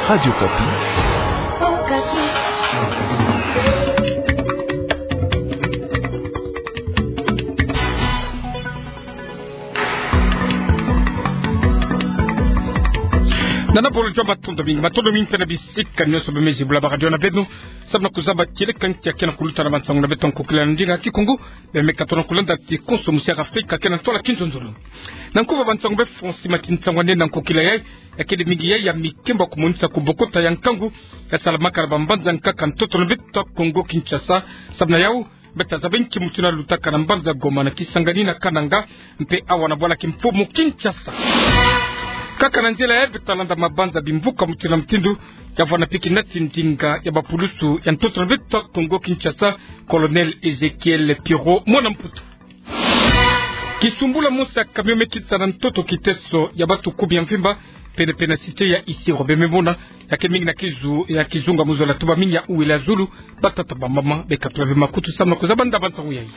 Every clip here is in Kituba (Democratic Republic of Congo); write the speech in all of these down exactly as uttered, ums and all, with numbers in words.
Radio Okapi. Nana bolo jamba, matondo mingi, matondo mingi mpe na bisika nyonso bemezi bula ba radio na beno. Samu na kuzaba kieleka ntia kena kuluta na bansangu na beto ya nkokila na ndinga kikongo. Bemeka tona kulanda ti konso musi ya Afrika kena ntwala kinzonzolo. Na nkuba bansangu be Francis Mati, nsangu ya nene na nkokila yai, ya kele mingi yai ya mikemba kumonisa kubokota ya nkangu ya salamaka na bambanza nkaka ntoto na beto ya Kongo Kinshasa. Samu na yau, beta zaba nki mutindu ya lutaka na mbanza Goma, na Kisangani, na Kananga, mpe awa na bwala kimfumu Kinshasa. Kaka na nzila yai beta landa mabanza bimvuka mutindu na mutindu, ya vwanda mpe kinati ndinga ya bapulusu ya ntoto na beto ya Kongo Kinshasa, Colonel Ezekiel Pierrot, mwana Mputu. Kisumbula mosi ya camion me kitisa na ntoto kiteso ya batu kumi ya mvimba, pene-pene na cité ya Isiro. Beno me mona, ya kele mingi na kizu, ya kizunga mu zola, tuba mingi ya uwila zulu, batata, bamama, beka tula ve makutu samu na kuzaba ndaba nsangu yai.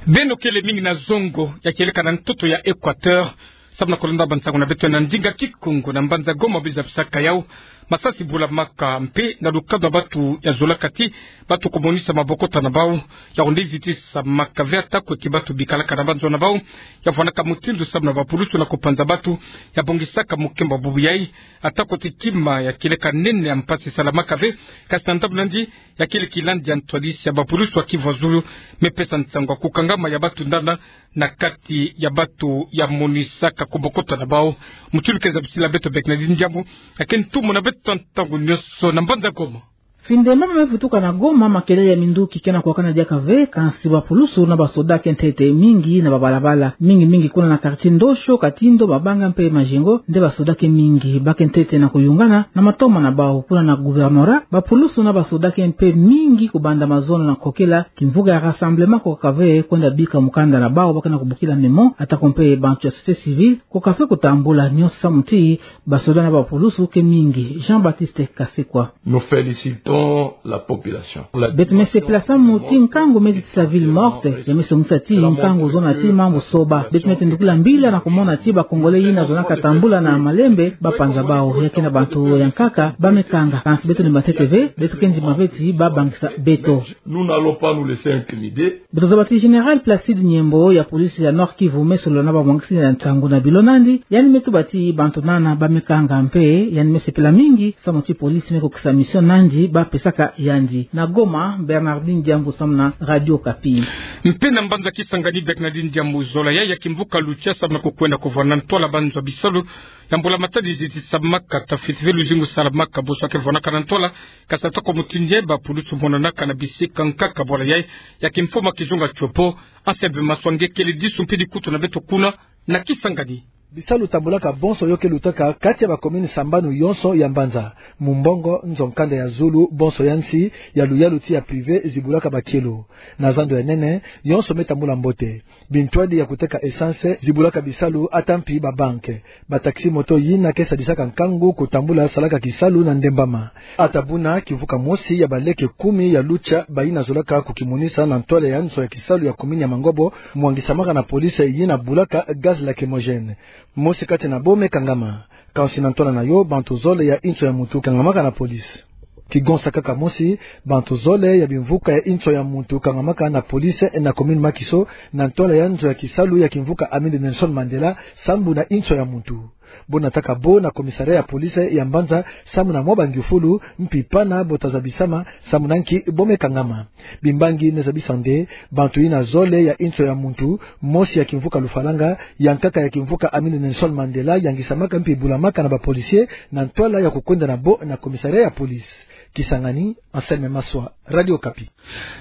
Beno kele mingi na zongo ya kieleka na ntoto ya Equateur, samu na kulanda bansangu na beto na ndinga kikongo. Na mbanza Goma, biza bisaka yau masasi bulamaka mpe na lukanu ya batu ya zolaka ti batu kumonisa mabokota na bau, ya onde zitisamaka ve atako ti batu bikalaka na banzo na bau, ya vwandaka mutindu samu na bapulusu na kupanza batu, ya bongisaka mukemba bubu yai, atako ti kima ya kieleka nene ya mpasi salamaka ve. Kasi na ndambu na yandi, ya kele kilandi ya ntwadisi ya bapulusu ya kivwa zulu, me pesa nsangu ya kukangama ya batu ndana na kati ya batu ya monisaka kubokota na bau. Mutindu ke zabisila beto Bernardine Diambu, ya ke ntumwa na beto ntangu nyonso na mbanza Goma. Findemba me vutuka na Goma, makelele ya minduki kena kuwakana diaka ve, kansi bapulusu na basoda ke ntete mingi na babalabala, mingi mingi kuna na quartier Ndosho, Katindo, Mabanga mpe Majengo, nde basoda ke mingi. Ba ke ntete na kuyungana na matoma na bau. Kuna na gouvernorat, bapulusu na basoda ke mpe mingi kubanda mazono na kokela kimvuka ya rassemblement, kukaka ve kwenda bika mukanda na bau, ba kena kubokila memo, atako mpe bantu ya société civile, kukaka ve kutambula, nyonso samu ti basoda na bapulusu ke mingi. Jean-Baptiste Kasekwa. Nous félicitons la population. Beto me sepela samu ti nkangu me zitisa ville morte, ya me songisa ti nkangu zona ti mambu soba. Beto me tendukila mbila na kumona ti ba Congolais yina zonaka tambula na malembe, ba panza bau. Ya kena bantu ya nkaka ba me kanga. Kansi beto lemba ntete ve, beto ke ndima ve ti ba bangisa beto. Nous n'allons pas nous laisser intimider. Beto zaba ti Général Placide Nyembo ya police ya Nord-Kivu me solola na bamwangisi ya nsangu na bilo nandi, yandi me tuba ti bantu nana ba me kanga mpe yandi me sepela mingi, samu ti police me kukisa mission nandi ba pesaka yandi. Na Goma, Bernardine Diambu samu na Radio Okapi. Mpe na mbanza Kisangani, Bernardine Diambu, zola yai ya kimvuka Lucha samu na kukwenda kuvwanda na ntwala banzo ya bisalu ya mbula matadi zitisamaka, tafiti ve luzingu salamaka bonso ya ke vwandaka na ntwala. Kasi atako mutindu yai, bapulusu monanaka na bisika nkaka bwala yai ya kimfumu ya kizunga Tshopo. Anselme Maswa nge kele disu mpe dikutu na beto kuna na Kisangani. Bisalu tambulaka bonso yo ke lutaka kati ya ba commune sambanu yonso ya mbanza. Mumbongo, nzo-nkanda ya zulu, bonso ya nsi, ya luyalu ti ya privé, zibulaka bakielo. Na zando ya nene, yonso me tambula mbote. Bintwadi ya kuteka essence zibulaka bisalu, ata mpi ba banque. Ba taxi-moto yina ke sadisaka nkangu kutambula salaka kisalu na ndembama. Ata buna, kimvuka mosi ya baleke kumi ya Lucha, bayina zolaka kukimonisa na ntwala ya nzo ya kisalu ya commune ya Mangobo, mwangisamaka na police yina bulaka gaz lacrymogène. Mosi kati na bo me kangama. Kansi na ntwala na yo, bantu zole ya inzo ya muntu kangamaka na police. Kigonsa kaka mosi, bantu zole ya bimvuka ya inzo ya muntu kangamaka na police na commune Makiso, na ntwala ya nzo ya kisalu ya kimvuka Amede Nelson Mandela, sambu na inzo ya muntu. Bo nataka bo na commissariat ya police ya mbanza, samu na mwa bangiufulu, mpi pana bo ta zabisama, samu na nki bo me kangama. Bimbangi me zabisa nde, bantu yina zole ya inzo ya muntu, mosi ya kimvuka Lufalanga, ya nkaka ya kimvuka Amede Nelson Mandela, yangisamaka mpi bulamaka na ba policiers, na ntwala ya kukwenda na bo na commissariat ya police. Kisangani, Anselme Maswa, Radio Okapi.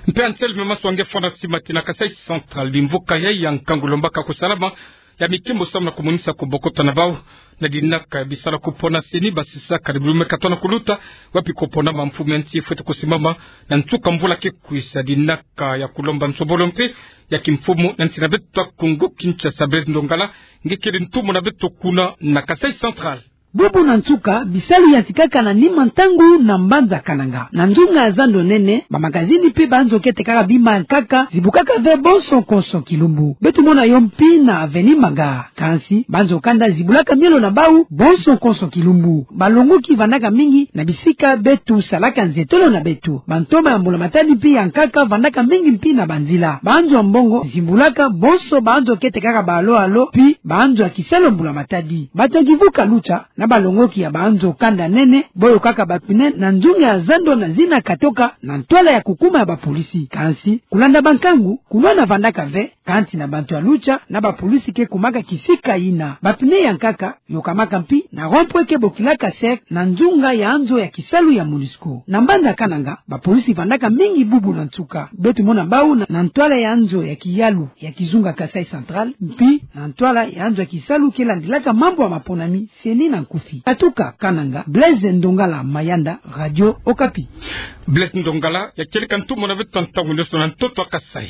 Mpe Anselme Maswa nge fwana sima ti na Kasaï Central, bimvuka yai ya nkangu lombaka kusalama ya mikimbu samu na kumonisa kubokota na bau, na dinaka ya bisala kupona seni basisaka ni bulume katona kuluta, wapi kupona mamfumu ya nsi fwete kusimama na nsuka mvula ke kwisa, dinaka ya kulomba nsobolo mpe ya kimfumu na nsi na beto Kongo Kinshasa. Blaise Ndongala nge kele ntumwa na beto kuna na Kasaï Central. Bubu na nsuka, bisalu yantikaka na nima ntangu na mbanza Kananga. Na nzunga ya zando nene, bamagazini mpe banzo kete kaka bima ya nkaka, zibukaka ve bonso konso kilumbu. Beto mona yo mpi na avenue Manga. Kansi, banzo kanda zibulaka mielo na bau, bonso konso kilumbu. Balongoki vandaka mingi na bisika beto salaka nzetolo na beto. Bantoma ya mbula matadi mpi ya nkaka vandaka mingi mpi na banzila. Banzo ya mbongo zibulaka bonso banzo kete kaka ba alo-alo, mpi banzo ya kisalu ya mbula matadi. Bato ya kivuka Lucha na balongoki ya banzo kanda nene, boyokaka bapine na nzunga ya zando na zina katoka na ntwala ya kukuma ya bapolisi. Kansi, kulanda bankangu, kunwana vandaka ve, kansi na bantu ya Lucha na bapolisi ke kumaka kisika yina. Bapine ya nkaka yokamaka mpi na rond-point ke bokilaka cercle na nzunga ya nzo ya kisalu ya MONUSCO. Na mbanza Kananga, bapolisi vandaka mingi bubu na nsuka. Beto mona bau na, na ntwala ya nzo ya kiyalu ya kizunga Kasaï Central, mpi na ntwala ya nzo ya kisalu ke landilaka mambu ya maponami, CENI na nkufi. Katuka Kananga, Blaise Ndongala Mayanda, Radio Okapi. Blaise Ndongala, ya kieleka ntumwa na beto ntangu nioso na ntoto ya Kasaï.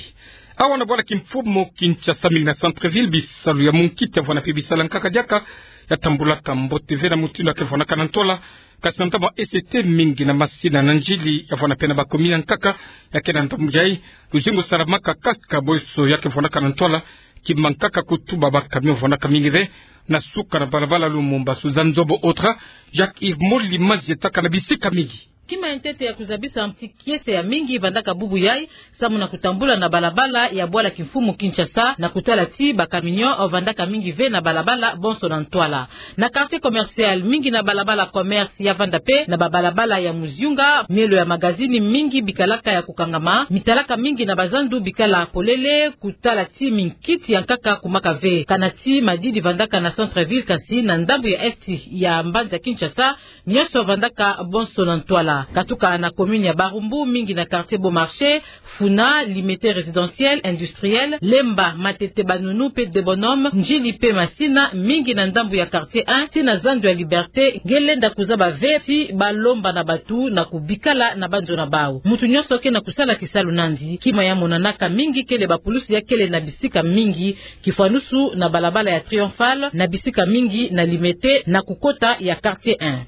Awa na bwala kimfumu Kinshasa mingi na centre-ville, bisalu ya munkiti ya vwanda mpe bisalu ya nkaka diaka ya tambulaka mbote ve na mutindu ya ke vwandaka na ntwala. Kasi na ntama S T mingi na masina na njili ya vwanda mpe na bacommune ya nkaka ya ke na ndambu yayi, luzingu salamaka kaka boso ya ke vwandaka na ntwala, ki mankaka kutuba bacamion vwandaka mingi ve na suka na balabala Lumumba. Suzanne Zobo Otra, Jacques Yves Moli mazietaka na bisika mingi. Kima ya ntete ya kuzabisa mti kiese ya mingi vandaka bubu yayi, samu na kutambula na balabala ya bwala kimfumu Kinshasa, na kutala ti bacamion vandaka mingi ve na balabala bonso na ntwala. Na quartier commercial mingi na balabala Commerce ya vanda mpe na babalabala ya Muziunga, mielo ya magazini mingi bikalaka ya kukangama, mitalaka mingi na bazandu bikala polele, kutala ti minkiti ya nkaka kumaka ve. Kana ti madidi vandaka na centre-ville, kasi na ndambu ya est ya mbanza Kinshasa, nioso vandaka bonso na ntwala. Katuka na commune ya Barumbu, mingi na quartier Beau Marché, Funa, Limete résidentiel, industriel, Lemba, Matete, Banunu mpe Deux Bonhommes, Ndjili mpe Masina, mingi na ndambu ya quartier un, ti na zandu ya Liberté, nge lenda kuzaba ve ti balomba na bato na kubikala na banzo na bau. Mutu nioso ke na kusala kisalu nandi. Kima ya monanaka mingi kele bapulusi ya kele na bisika mingi, kifwanusu na balabala ya Triomphal, na bisika mingi na Limete, na kukota ya quartier un.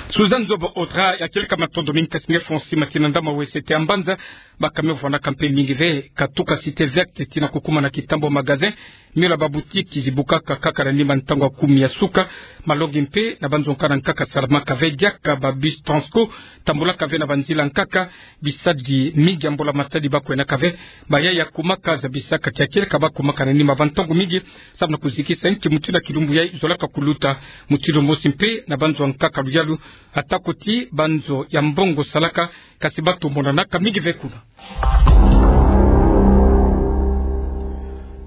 Suzanne Zobo Otra, ya kieleka matondo mingi, kasi nge fwa nsi ma tina ndama wese te ya mbanza, bacamion vwandaka mpe mingi ve, katuka Cité Verte tina kukuma na kitambo magasin, mielo ya baboutique zibukaka kaka na nima ntangu ya kumi ya suka. Malongi mpe na banzo nkaka na nkaka salamaka ve diaka, babus Transco tambulaka ve na banzila nkaka, bisadi mingi ya mbula matadi bakwenaka ve. Bayayi ya kumaka zabisaka ti ya kieleka bakumaka na nima bantangu mingi, samu na kuzikisa nki mutindu ya kilumbu yayi zolaka kuluta. Mutindu mosi mpe na banzo ya nkaka luyalu, atako ti banzo ya mbongo salaka, kasi bato monanaka mingi ve kuna.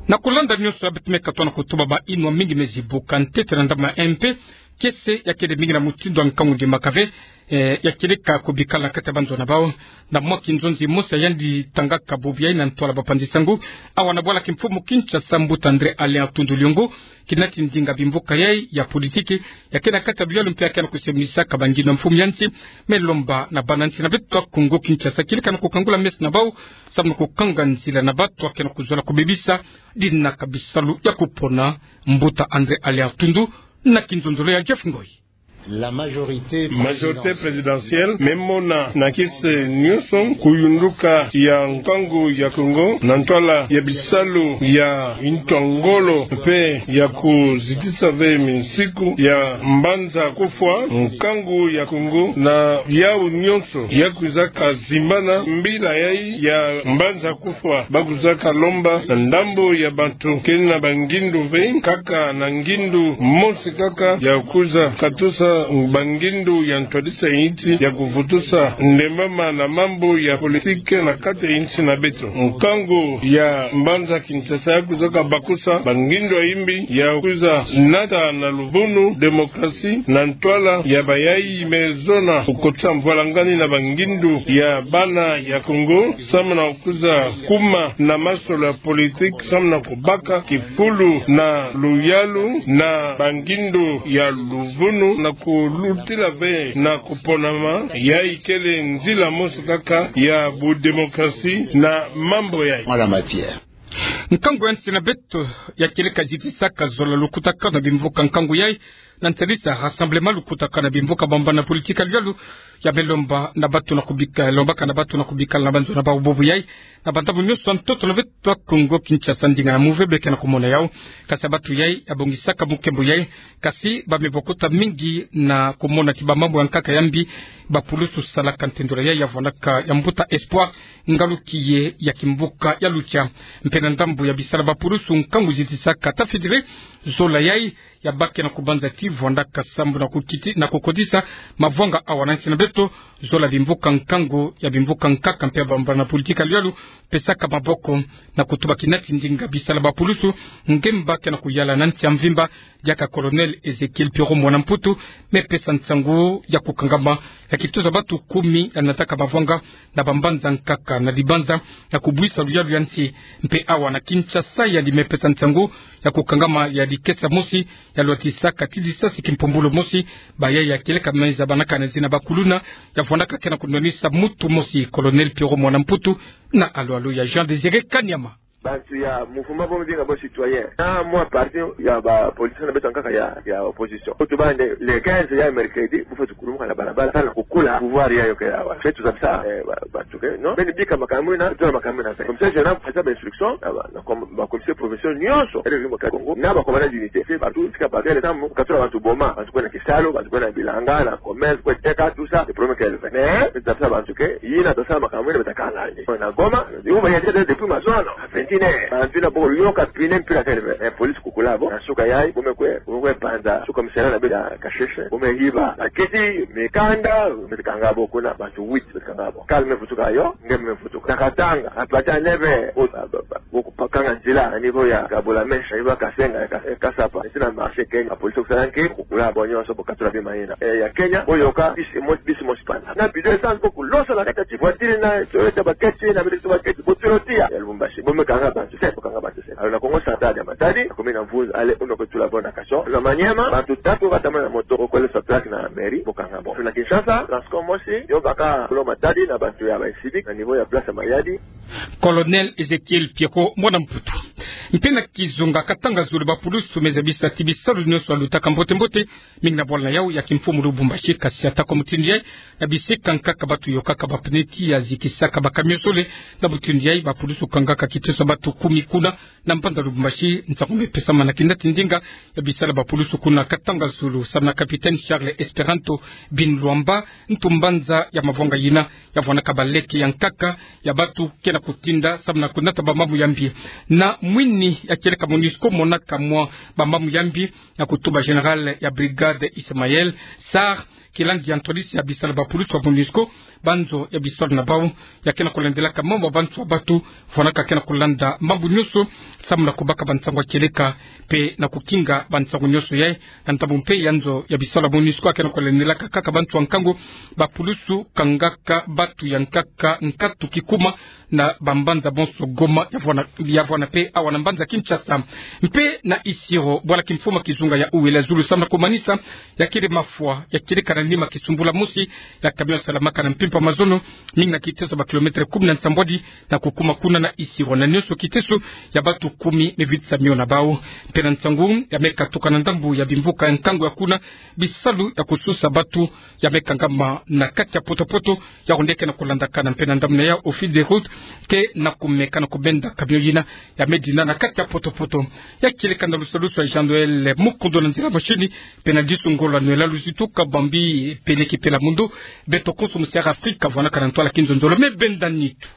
Na kulanda nioso ya beto me katoa na kutuba, bayinwa mingi me zibuka ntete na ndama M P, kiese ya kele mingi na mutindu ya nkangu ndimaka ve, eh, ya kieleka kubikala na kati ya banzo na bau. Na mwa kinzonzi mosi ya yandi tangaka bubu yayi na ntwala bapanzi sango, awa na bwala kimfumu Kinshasa, mbuta André Alain Atundu Liongo, kina ti ndinga bimvuka yayi ya politiki, ya ke na kati ya luyalu mpe ya ke na kusemunisaka banginwa mfumu ya nsi, me lomba na bana nsi na beto ya Kongo Kinshasa kieleka na kukangula meso na bau, samu na kukanga nzila na bato ya ke na kuzola kubebisa dinaka bisalu ya kupona. Mbuta André Alain Atundu, na kinzonzolo ya Jeff Ngoi. La majorité présidentielle me mona na kiese nioso kuyunduka ya nkangu ya Kongo na ntwala ya bisalu ya ntu ya ngolo mpe ya kuzitisa ve minsiku ya mbanza kufwa. Nkangu ya Kongo na yawu nionso ya kwizaka zimbana mbila yayi ya mbanza kufwa, bakwizaka lomba na ndambu ya bato ke na bangindu ve, kaka na ngindu mosi kaka ya kwiza katusa bangindu ya ntwadisa insi ya kuvutusa ndembama na mambu ya politiki na kati ya insi na beto. Nkangu ya mbanza Kinshasa ya kwizaka bakusa bangindu ya imbi ya kwiza nata na luvunu, démocratie, na ntwala ya bayayi me zona kukotisa mvwalangani na bangindu ya bana ya Kongo, samu na kwiza kuma na masolo ya politiki, samu na kubaka kifulu na luyalu na bangindu ya luvunu, na kulutila ve na kuponama. Yayi kele nzila mosi kaka ya bu démocratie na mambu yayi. Madame Mathieu. Nkangu ya nsi na beto ya kieleka zitisaka zola lukutakanu na bimvuka nkangu yayi, Na ntielisa rassemblement lukutakana bimvuka bambana politika ya luyalu, ya me lomba na batu na kubika, lombaka na batu na kubikala na banzo na bawu bobo yai, na bantabu nyonso ntoto na beto ba Kongo Kinshasa, ndinga ya move beke na kumona yawu. Kasi ya batu yai ya bongisaka mukembo yai, kasi ba me bokota mingi na kumona ti bamambu ya nkaka ya mbi, bapulusu salaka ntendola yai ya vwanaka ya mbuta Espoir, ngalu kiye ya kimvuka ya Lucha. Mpe na ndambu ya bisala bapulusu nkangu zitisaka ta fédéré, zola yai ya bake na kubanza ti vwandaka sambu na kukiti, na kukodisa mavwanga awa na nsi na beto, zola bimvuka nkangu ya bimvuka nkaka mpe ya bambana politika ya luyalu, pesaka maboko na kutuba kina ti ndinga bisala bapulusu nge mbake na kuyala na nsi ya mvimba, diaka Colonel Ezechiel Pierrot Mwana Mputu me pesa nsangu ya kukangama ya kitoza batu kumi ya nataka mavwanga na bambanza nkaka na dibanza ya kubwisa luyalu ya nsi. Mpe awa na Kinshasa yandi me pesa nsangu ya kukangama ya dikesa mosi ya lwatisaka ti disasi kimpumbulu mosi, bayai ya kieleka me zabanaka na zina bakuluna, ya vwandaka ke na kunwanisa mutu mosi, Colonel Pierrot Mwana Mputu, na alwalu ya Jean Désiré Kanyama. Bantu ya mouvement bo me binga bo citoyen, na mwa parti ya bapoliticien na beto ya nkaka ya, ya opposition. Kutu bande, le quinze ya mercredi, bu fweti kulumuka na balabala, tala kukula pouvoir yayo ke awa. Fweti zabisa, eh, ba, bantu ke, non? Beni bika makambu ina, tula makambu ina. Comme ça, je n'ai pas besoin d'instruction, ah, ba, na com-, ba commissaire provincial nyonso, ele limo ka Congo, na ba commandant d'unité. Fweti partout, tika ba kele tamu, katula bantu boma, bantu kwenda kisalu, bantu kwenda bilanga, na commerce, kwenda teka, tout ça, le problème qu'elle fait. Mais, zabisa bantu ke, yina tosala makambu ina beto kanga ni. Na Goma, yo ba yente depuis mazono, ventine, bantu ina boko yoka pine mpila kele, eh, police kukula bo, na suka yai, bo me kwe, bo me kwe panza, suka misela na beto ya Kasheshe, bo me hiba, bakiti, mikanda, beto kanga bo kuna, bantu huit, beto kanga bo. Kala me vutuka yo, nge me vutuka. Na Katanga, na Pata Neve, o, ba, ba, ba, bo kupakanga nzila, na niveau ya Kabula Mesha, niveau ya Kasenga, ya Ka-, ya Kasapa, nti na marché Kenya, police kusala nki, kukula bo nyonso, bo katula bima ina. Eh, ya Kenya, bo yoka, bisi mo-, bisi mosi pana. Na bidon essence bo kulosa na kati ya ti voiture na, Toyota baketi, na bidon baketi, bo tula tiya. Ya Lubumbashi, bo me kanga bantu sept, bo kanga bantu sept. Alors na Kongo Central ya Matadi, na commune ya Mvunza, allez, uno ke tula bo na cachot. Na Maniema, bantu tatu katamana na moto, bo kwele sa plaque na mairie, bo kanga bo. Na Kinshasa, Transcom mosi, yo baka lo Matadi, na bantu ya ba civique, na niveau ya place ya Mayadi. Colonel Ezechiel Pierrot Mwana Mputu. Mpe na kizunga Katanga zulu bapulusu me zabisa ti bisalu nyonso ya lutaka mbote mbote, mingi na bwala na yawu ya kimfumu Lubumbashi, kasi ata kwa mutindu yai, na bisika nkaka batu yokaka bapneu ti ya zikisaka ba camion sole, na mutindu yai bapulusu kangaka kiteso batu kumi kuna, na mbanza Lubumbashi, nsangu me pesamana kina ti ndinga ya bisala bapulusu kuna Katanga zulu, samu na capitaine Charles Esperanto Binlwamba, ntu mbanza ya mavwanga yina, ya vwanaka baleke ya nkaka ya batu ke na kutinda, samu na kunata bamambu ya mbi. Na mwini ya kieleka MONUSCO monaka mwa bamambu ya mbi, na kutuba général ya brigade Ismaël Sarr, kilangi ya ntwadisi ya bisala bapulusu ya MONUSCO, banzo ya bisalu na bawu, ya ke na kulandelaka mambu ya bantu ya batu, vwanaka ke na kulanda mambu nyonso, samu na kubaka bansangu ya kieleka, mpe na kukinga bansangu nyonso yai, na ntambu mpe ya nzo ya bisalu ya MONUSCO ya ke na kulandelaka kaka bantu ya nkangu, bapulusu kangaka batu ya nkaka nkatu kikuma, na bambanza bonso Goma ya vwana, ya vwana mpe awa na mbanza Kinshasa. Mpe na Isiro, bwala kimfumu ya kizunga ya Uele zulu samu na kumanisa ya kele mafwa, ya kele kana nima kisumbula mosi ya camion salamaka na mpimpa mazono, mingi na kiteso ba kilomètre kumi na nsambwadi, na kukuma kuna na Isiro, na nyonso kiteso ya batu kumi me vitisa mio na bawu. Mpe na nsangu ya me katuka na ndambu ya bimvuka ya nkangu ya kuna, bisalu ya kususa batu ya me kangama na kati ya poto-poto, ya onde ke na kulandakana mpe na ndambu na ya office de route, ke na kumeka na kubenda camion yina ya me dina na kati ya poto-poto. Ya kieleka na lusalusu ya Jean Noël Mukundu na nzila machine, mpe na disu ngolo ya Noël Luzitu Kabambi, pele ki pela mundo, beto konso musi ya Afrika, vwanaka na ntwala kinzonzolo, me benda nitu.